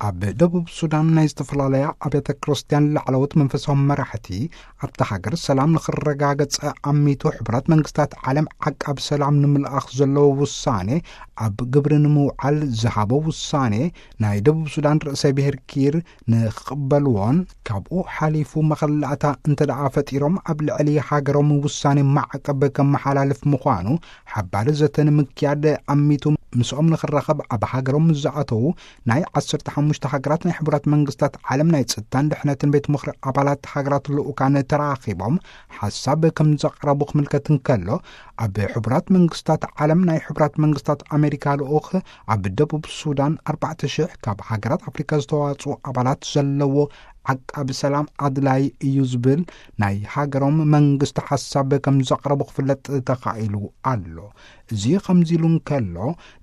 ኣብ ደቡብ ሱዳን ናይ ዝተፈላለያ ኣብያተ ክርስቲያን ላዕለዎት መንፈሳዊ መራሕቲ፣ ኣብታ ሃገር ሰላም ንኽረጋገጽ ኣሚቱ፣ ሕቡራት መንግስታት ዓለም ዓቃብ ሰላም ንምልኣኽ ዘለዎ ውሳኔ ኣብ ግብሪ ንምውዓል ዝሃቦ ውሳኔ፣ ናይ ደቡብ ሱዳን ርእሰ ብሔር ኪር ንኽቕበልዎን፣ ካብኡ ሓሊፉ መኸላእታ እንተ ደኣ ፈጢሮም፣ ኣብ ልዕሊ ሃገሮም ውሳኔ ማዕቀብ ከመሓላልፍ ምዃኑ፣ ሓባሪ ዘተ ንምክያድ ኣሚቱ ምስኦም ንኽራኸብ ኣብ ሃገሮም ዝኣተዉ ናይ ዓሰርተ ሓሙሽተ ሃገራት ናይ ሕቡራት መንግስታት ዓለም ናይ ጸጥታን ድሕነትን ቤት ምኽሪ ኣባላት ሃገራት ልኡካን ተራኺቦም ሓሳብ ከም ዘቕረቡ ክምልከት እንከሎ፣ ኣብ ሕቡራት መንግስታት ዓለም ናይ ሕቡራት መንግስታት ኣሜሪካ ልኡኽ ኣብ ደቡብ ሱዳን ኣርባዕተ ሽሕ ካብ ሃገራት ኣፍሪካ ዝተዋጽኡ ኣባላት ዘለዎ ዓቃቢ ሰላም ኣድላይ እዩ ዝብል ናይ ሃገሮም መንግስቲ ሓሳብ ከም ዘቕረቡ ክፍለጥ ተኻኢሉ ኣሎ። እዚ ከምዚ ኢሉ እንከሎ፣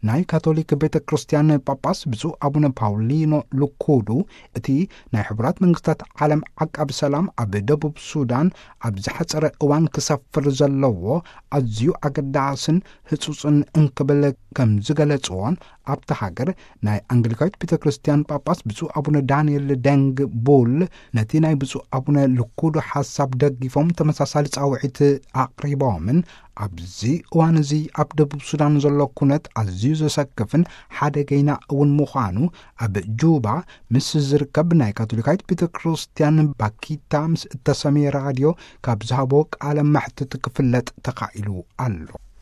ናይ ካቶሊክ ቤተ ክርስቲያን ጳጳስ ብፁዕ ኣቡነ ፓውሊኖ ሉኩዱ፣ እቲ ናይ ሕቡራት መንግስታት ዓለም ዓቃቢ ሰላም ኣብ ደቡብ ሱዳን ኣብ ዝሓጸረ እዋን ክሰፍር ዘለዎ ኣዝዩ ኣገዳስን ህጹጽን እንክብል ከም ዝገለጽዎን፣ ኣብታ ሃገር ናይ ኣንግሊካዊት ቤተ ክርስቲያን ጳጳስ ብፁዕ ኣቡነ ዳንኤል ደንግ ቡል ነቲ ናይ ብፁዕ ኣቡነ ልኩዱ ሓሳብ ደጊፎም ተመሳሳሊ ጻውዒት ኣቕሪቦምን፣ ኣብዚ እዋን እዚ ኣብ ደቡብ ሱዳን ዘሎ ኩነት ኣዝዩ ዘሰክፍን ሓደገይና እውን ምዃኑ ኣብ ጁባ ምስ ዝርከብ ናይ ካቶሊካዊት ቤተ ክርስቲያን ባኪታ ምስ እተሰምየ ራድዮ ካብ ዝሃቦ ቃለ መሕትት ክፍለጥ ተኻኢሉ ኣሎ።